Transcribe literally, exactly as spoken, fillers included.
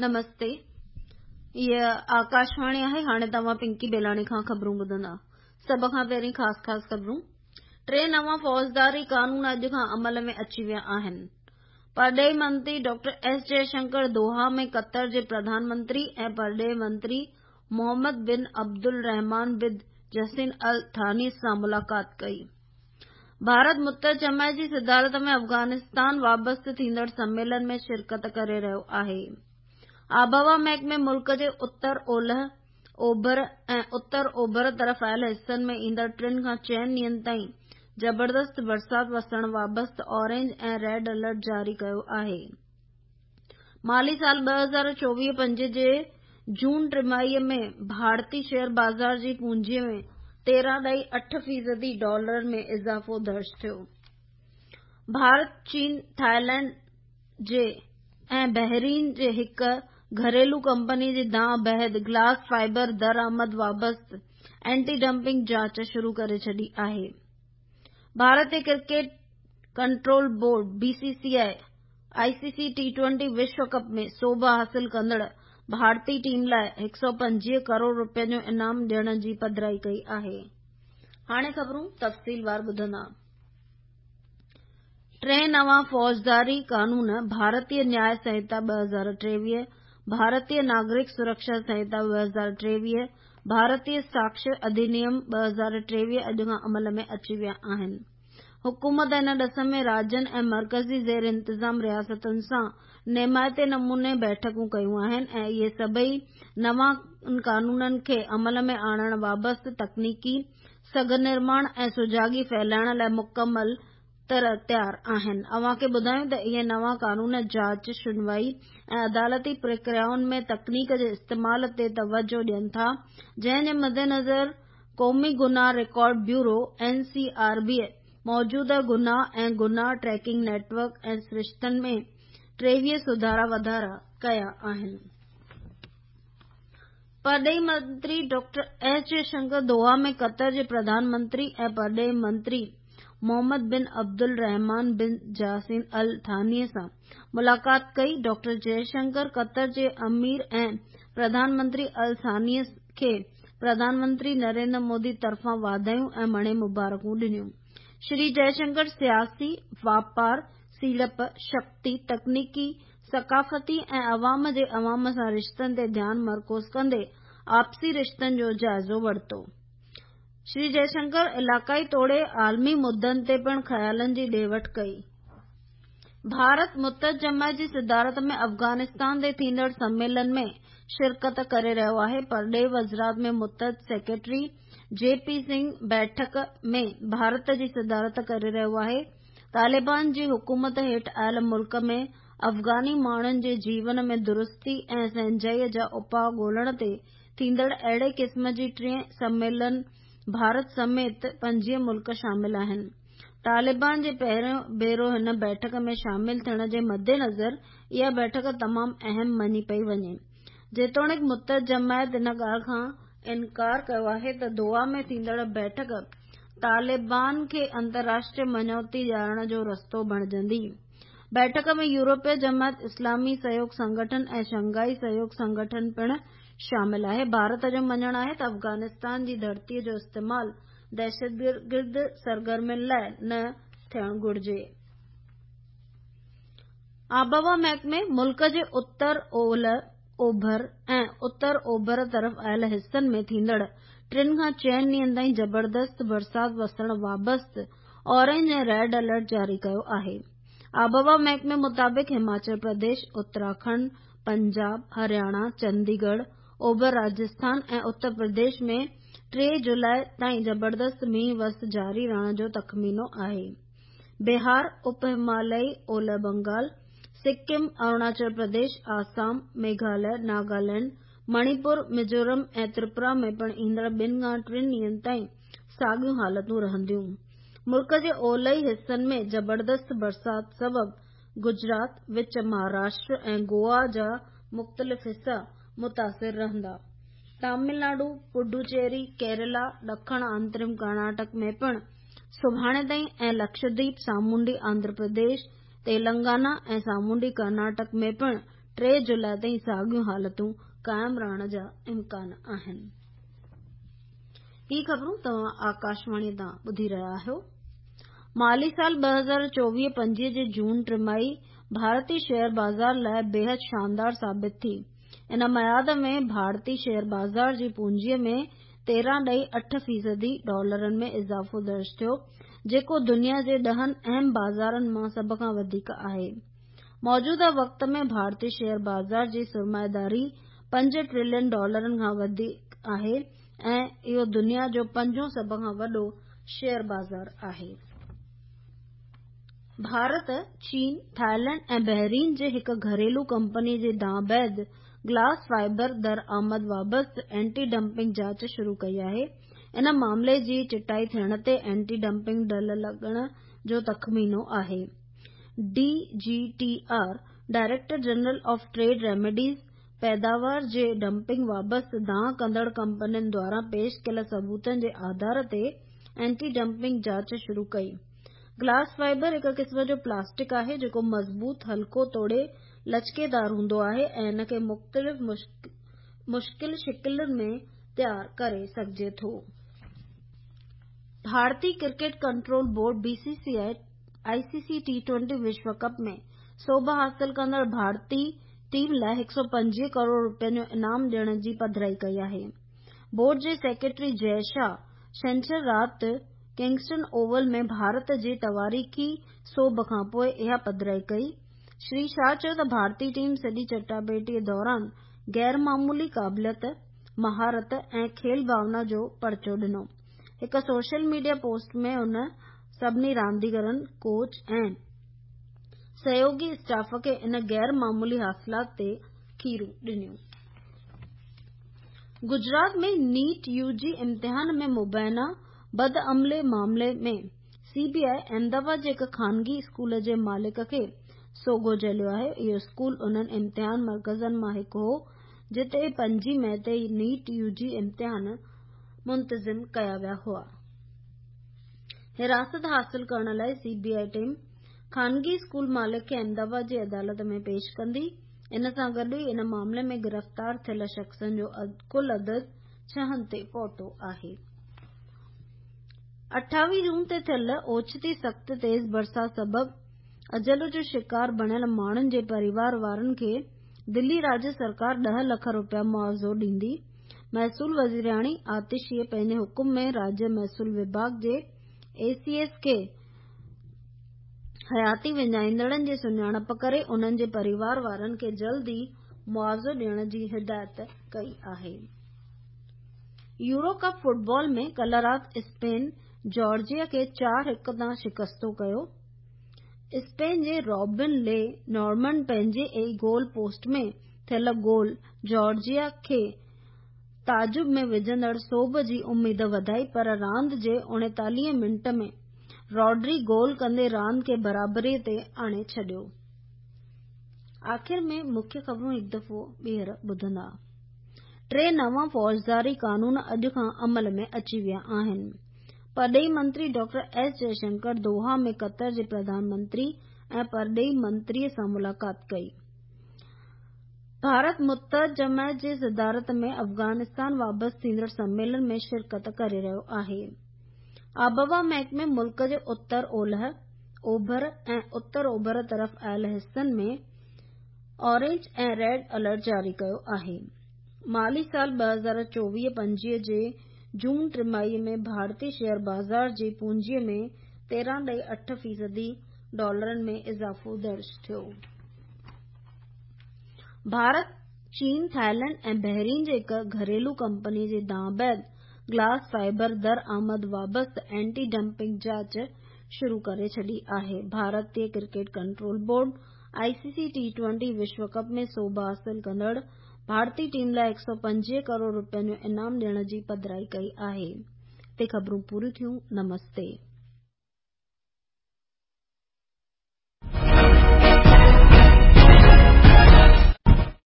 نمستي، هيء آڪاشواڻي آهي. هاڻي توهان پنڪي بيلاڻي کان خبرون ٻڌندا. سڀ کان پهرين خاص خاص خبرون. ٽي نوان فوجداري قانون اڄ کان عمل ۾ اچي ويا آهن. پرڏيهي منتري ڊاڪٽر ايس جئشنڪر دوها ۾ قطر جي پرڌان منتري ۽ پرڏيهي منتري محمد بن عبدالرحمان بن جسيم ال ثاني سان ملاقات ڪئي. ڀارت متحده جماعت جي صدارت ۾ افغانستان وابسته ٿيندڙ سميلن ۾ شرڪت ڪري رهيو آهي. آبهوا محڪمي ملڪ جي اتر، اولهه، اوڀر ۽ اتر اوڀر طرف آيل حصن ۾ ايندڙ ٽن کان چئن ڏينهن تائين زبردست برسات وسڻ وابسته اورينج ۽ ريڊ الرٽ جاري ڪيو آهي. مالي سال ٻه هزار چوويهه پنجويهه جي جون ٽماهيء ۾ ڀارتي شيئر بازار جي پونجيء ۾ تيرهن ڏهائي اٺ فيصدي ڊالر ۾ اضافو درج ٿيو. ڀارت، چين، ٿائيلينڊ جي ۽ بحرين جي هڪ گهريلو ڪمپني جي دانهن بعد گلاس فائبر درآمد وابسته اينٽي ڊمپنگ جاچ شروع ڪري ڇڏي آهي. ڀارتي cricket control board B C C I I C C T twenty وشو ڪپ ۾ سوڀ حاصل ڪندڙ ڀارتي ٽيم لاءِ هڪ سؤ پنجويهه ڪروڙ رپين جو انعام ڏيڻ جي پڌرائي ڪئي آهي. هاڻي خبرون تفصيلوار ٻڌندا. ٽي نوان فوجداري قانون ڀارتيه نياء سنهتا ٻه هزار ٽيويهه، ڀارتيه ناگرڪ سرڪشا سنهتا ٻه هزار ٽيويهه، ڀارتيه ساڪشيه اڌنيم ٻه هزار ٽيويهه اڄ کان عمل ۾ اچي ويا آهن. حڪومت ان ڏس ۾ راجين ۽ مرڪزي زير انتظام رياستن سان نيمائتي نموني بيٺڪون ڪيون آهن ۽ اهي سڀئي نوان قانونن کي عمل ۾ آڻڻ وابسته تڪنيڪي سگهه نرماڻ ۽ سجاڳي ڦهلائڻ لاءِ مڪمل طرح تيار آهن. اوهان کي ٻڌايون ته اهي نوان قانون جاچ، شنوائي ۽ عدالتي پرڪريائن ۾ تڪنيڪ جي استعمال تي توجهه ڏين ٿا، جنهن جي مدنظر قومي گناهه record bureau N C R B موجوده گناهه ۽ گناهه ٽريڪنگ نيٽ ورڪ ۽ سرشتن ۾ ٽيويهه سڌارا واڌارا ڪيا آهن. پرڏيهي منتري ڊاڪٽر ايس جئشنڪر دوها ۾ قطر جي پرڌان منتري ۽ پرڏيهي منتري محمد بن عبدالرحمان بن جاسم ال ثاني سان ملاقات ڪئي. ڊاڪٽر جئشنڪر قطر جي امير ۽ پرڌان منتري ال ثاني کي پرڌان منتري نريندر مودي طرفان واڌايون ۽ مڻي مبارڪون ڏنيون. شري جئشنڪر سياسي، واپار، سيڙپ، شڪتي، تڪنيڪي، ثقافتي ۽ عوام جي عوام سان رشتن تي ڌيان مرڪوز ڪندي آپسي رشتن جو جائزو ورتو. شري جئشنڪر علائقائي توڙي عالمي مدعن تي پڻ خيالن جي ڏي وٺ ڪئي. ڀارت متحده جماعت جي صدارت ۾ افغانستان تي ٿيندڙ سميلن ۾ شرڪت ڪري رهيو آهي. پرڏيهي وزارت ۾ متحده سيڪريٽري جي پي سنگهه بيٺڪ ۾ ڀارت جي صدارت ڪري رهيو آهي. طالبان جي حڪومت هيٺ آيل ملڪ ۾ افغاني ماڻهن جي جيون ۾ درستي ۽ سهنجائي جا اپاءَ ڳولڻ تي ٿيندڙ اهڙي قسم جي ٽئين سميلن ڀارت سميت پنجويهه ملڪ شامل آهن. طالبان جي پهريون ڀيرو هن بيٺڪ ۾ شامل ٿيڻ جي مدنظر اها بيٺڪ تمام اهم مڃي پئي وڃي. جيتوڻيڪ متحده جماعت ان ڳالهه کان انڪار ڪيو آهي ته دوها ۾ ٿيندڙ بيٺڪ طالبان کي انترراشٽريه مڃوتي ڏيارڻ جو رستو بڻجندي. بيٺڪ ۾ يورپي جماعت، اسلامي سهيوگ سنگٺن ۽ شنگهائي سهيوگ سنگٺن پڻ شامل آهي. ڀارت جو مڃڻ آهي ته افغانستان جي ڌرتيءَ جو استعمال دهشتگرد سرگرمين لاءِ نه ٿيڻ گهرجي. آبهوا محڪمي ملڪ جي اتر، اولهه، اوڀر ۽ اتر اوڀر طرف آيل حصن ۾ ٿيندڙ ٽن کان چئن ڏينهن تائين زبردست برسات وسڻ وابسته اورينج ۽ ريڊ الرٽ جاري ڪيو آهي. آبهوا محڪمي مطابق هماچل پرديش، اتراکنڊ، پنجاب، هرياڻا، چنديڳڙهه، اوڀر راجسٿان ۽ اتر پرديش ۾ ٽي جولاءِ تائين زبردست مينهن وس جاري رهڻ جو تخمينو آهي. بهار، اپ هماليائي اولهه بنگال، سڪم، اروناچل پرديش، آسام، ميگهاليه، ناگالينڊ، مڻيپور، ميزورم ۽ تريپورا ۾ پڻ ايندڙ ٻن کان ٽن ڏينهن تائين ساڳيون حالتون رهنديون. ملڪ جي اولهي حصن ۾ زبردست برسات سبب گجرات، وچ مهاراشٽر ۽ گوا جا مختلف حصا متاثر رهندا. تامل ناڊو، پڊوچيري، ڪيرالا، ڏکڻ آنترم ڪرناٽڪ ۾ پڻ سڀاڻي تائين ۽ لڪشديپ، سامونڊي آنڌرا پرديش، تيلنگانا ۽ سامونڊي ڪرناٽڪ ۾ پڻ ٽي جولاءِ تائين ساڳيون حالتون قائم رهڻ جا امڪان آهن. هي خبرون توهان آڪاشواڻي تان ٻڌي رهيا آهيو. مالي سال ٻه هزار چوويهه پنجويهه جي جون ٽماهي ڀارتي شيئر بازار لاءِ بيحد شاندار ثابت ٿي. ان ميعاد ۾ ڀارتي شيئر بازار جي پونجيءَ ۾ تيرهن ڏهائي اٺ فيصدي ڊالرن ۾ اضافو درج ٿيو، جيڪو دنيا جي ڏهن اهم بازارن مان سڀ کان وڌيڪ آهي. موجوده وقت ۾ ڀارتي شيئر بازار جي سرمائيداري پنج ٽريلين ڊالرن کان وڌيڪ آهي ۽ اهو دنيا جو پنجون سڀ کان وڏو شيئر بازار آهي. ڀارت، چين، ٿائيلينڊ ۽ بحرين جي هڪ گهريلو ڪمپني جي دانهن بعد گلاس فائبر درآمد وابسته اينٽي ڊمپنگ جاچ شروع ڪئي آهي. ان معاملي جي چٽائي ٿيڻ تي اينٽي ڊمپنگ ڍل لڳڻ جو تخمينو آهي. D G T R director general of trade remedies پيداوار جي ڊمپنگ وابسته دانهن ڪندڙ ڪمپنين دواران پيش ڪيل ثبوتن جي آڌار تي اينٽي ڊمپنگ جاچ شروع ڪئي. گلاس فائبر هڪ قسم جو پلاسٽڪ آهي جيڪو مضبوط، هلڪو توڙي لچڪيدار هوندو آهي ۽ ان کي مختلف مشڪل شڪلن ۾ تيار ڪري سگهجي ٿو. ڀارتي cricket control board B C C I I C C T twenty وشو ڪپ ۾ سوڀ حاصل ڪندڙ ڀارتي ٽيم لاءِ هڪ سؤ پنجويهه ڪروڙ رپين جو انعام ڏيڻ جي پڌرائي ڪئي آهي. بورڊ جي سيڪريٽري جئه شاهه ڇنڇر رات ڪنگسٽن اوول ۾ ڀارت جي تواريخي سوڀ کانپوءِ اها پڌرائي ڪئي. شري شاهه چيو ته ڀارتي ٽيم سڄي چٽاڀيٽي دوران غير معمولي قابليت، مهارت ۽ کيل ڀاونا جو پرچو ڏنو. هڪ سوشل ميڊيا پوسٽ ۾ هن سڀني رانديگرن، ڪوچ ۽ سهيوڳي اسٽاف کي ان غير معمولي حاصلات تي کيرون ڏنيون. گجرات ۾ نيٽ يو جي امتحان ۾ مبينا بدعملي معاملي ۾ سي بي آء احمدآباد جي هڪ خانگي اسڪول جي مالڪ کي سوگهو جهليو آهي. اهو اسڪول انهن امتحان مرڪزن مان هڪ هو جتي پنجين مئي تي نيٽ يو جي امتحان منتظم ڪيا ويا هئا. حراست حاصل ڪرڻ لاءِ سي بي I team خانگي اسڪول مالڪ کي احمدآباد جي عدالت ۾ پيش ڪندي. ان سان گڏ ئي ان معاملي ۾ گرفتار ٿيل شخصن جو ڪل عدد ڇهن تي پهتو آهي. اٺاويهه جون تي ٿيل اوچتي سخت تيز برسات سبب اجل جو شڪار بڻيل ماڻهن جي پريوار وارن کي دلي راجيه سرڪار ڏهه لک رپيا معاوضو ڏيندي. محصول وزيراڻي آتشيءَ پنهنجي حڪم ۾ راجيه محصول وڀاڳ جي اي سي ايس کي حياتي وڃائيندڙن جي سڃاڻپ ڪري انهن جي پريوار وارن کي جلد ئي معاوضو ڏيڻ جي هدايت ڪئي آهي. يورو ڪپ فٽبال ۾ ڪلهه رات اسپين جارجيا کي چار هڪ تان شڪستو ڪيو. اسپين جي رابن لي نارمنڊ پنهنجي ئي گول پوسٽ ۾ ٿيل گول جارجيا کي تعجب ۾ وجهندڙ سوڀ جي اميد وڌائي، پر راند جي اڻيتاليهه منٽ ۾ راڊري گول ڪندي راند کي برابري تي آڻي ڇڏيو. آخر ۾ مکيه خبرون هڪ دفعو ٻيهر ٻڌندا. ٽي نوان فوجداري قانون اڄ کان عمل ۾ اچي ويا آهن. پرڏيهي منتري ڊاڪٽر ايس جئشنڪر دوها ۾ قطر جي پرڌان منتري ۽ پرڏيهي منتري سان ملاقات ڪئي. ڀارت متحده جماعت جي صدارت ۾ افغانستان وابسته ٿيندڙ سميلن ۾ شرڪت ڪري رهيو آهي. آبهوا محڪمي ملڪ جي اتر اولهه، اوڀر ۽ اتر اوڀر طرف آيل حصن ۾ اورينج ۽ ريڊ الرٽ جاري ڪيو آهي. مالي سال ٻه هزار چوويهه پنجويهه جي جون ٽماهي ۾ ڀارتي شيئر بازار جي پونجيءَ ۾ تيرهن ڏهائي اٺ فيصدي ڊالرن ۾ اضافو درج ٿيو. ڀارت، چين، ٿائيلينڊ ۽ بحرين جي هڪ گهريلو ڪمپني جي دانهن بعد گلاس فائبر درآمد وابسته اينٽي ڊمپنگ جاچ شروع ڪري ڇڏي آهي. ڀارتي cricket control board I C C T twenty وشو ڪپ ۾ سوڀ حاصل ڪندڙ ڀارتي ٽيم لاءِ هڪ سؤ پنجويهه ڪروڙ رپين جو انعام ڏيڻ جي پڌرائي ڪئي آهي. هتي خبرون پوريون ٿيون. نمستي.